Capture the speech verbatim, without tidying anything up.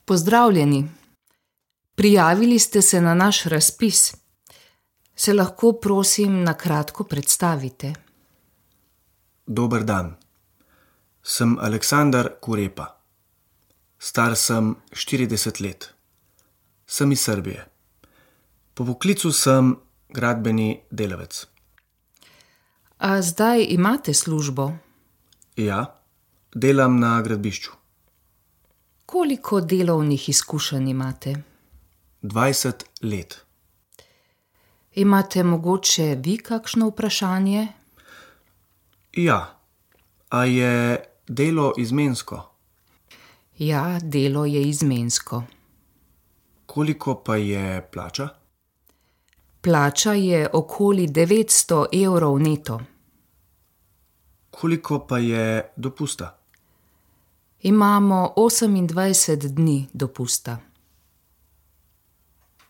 Pozdravljeni. Prijavili ste se na naš razpis. Se lahko, prosim, na kratko predstavite? Dober dan. Sem Aleksandar Kurepa. Star sem štirideset let. Sem iz Srbije. Po poklicu sem gradbeni delavec. A zdaj imate službo? Ja, delam na gradbišču. Koliko delovnih izkušenj imate? dvajset let. Imate mogoče vi kakšno vprašanje? Ja. A je delo izmensko? Ja, delo je izmensko. Koliko pa je plača? Plača je okoli devetsto evrov neto. Koliko pa je dopusta? Imamo osemindvajset dni dopusta.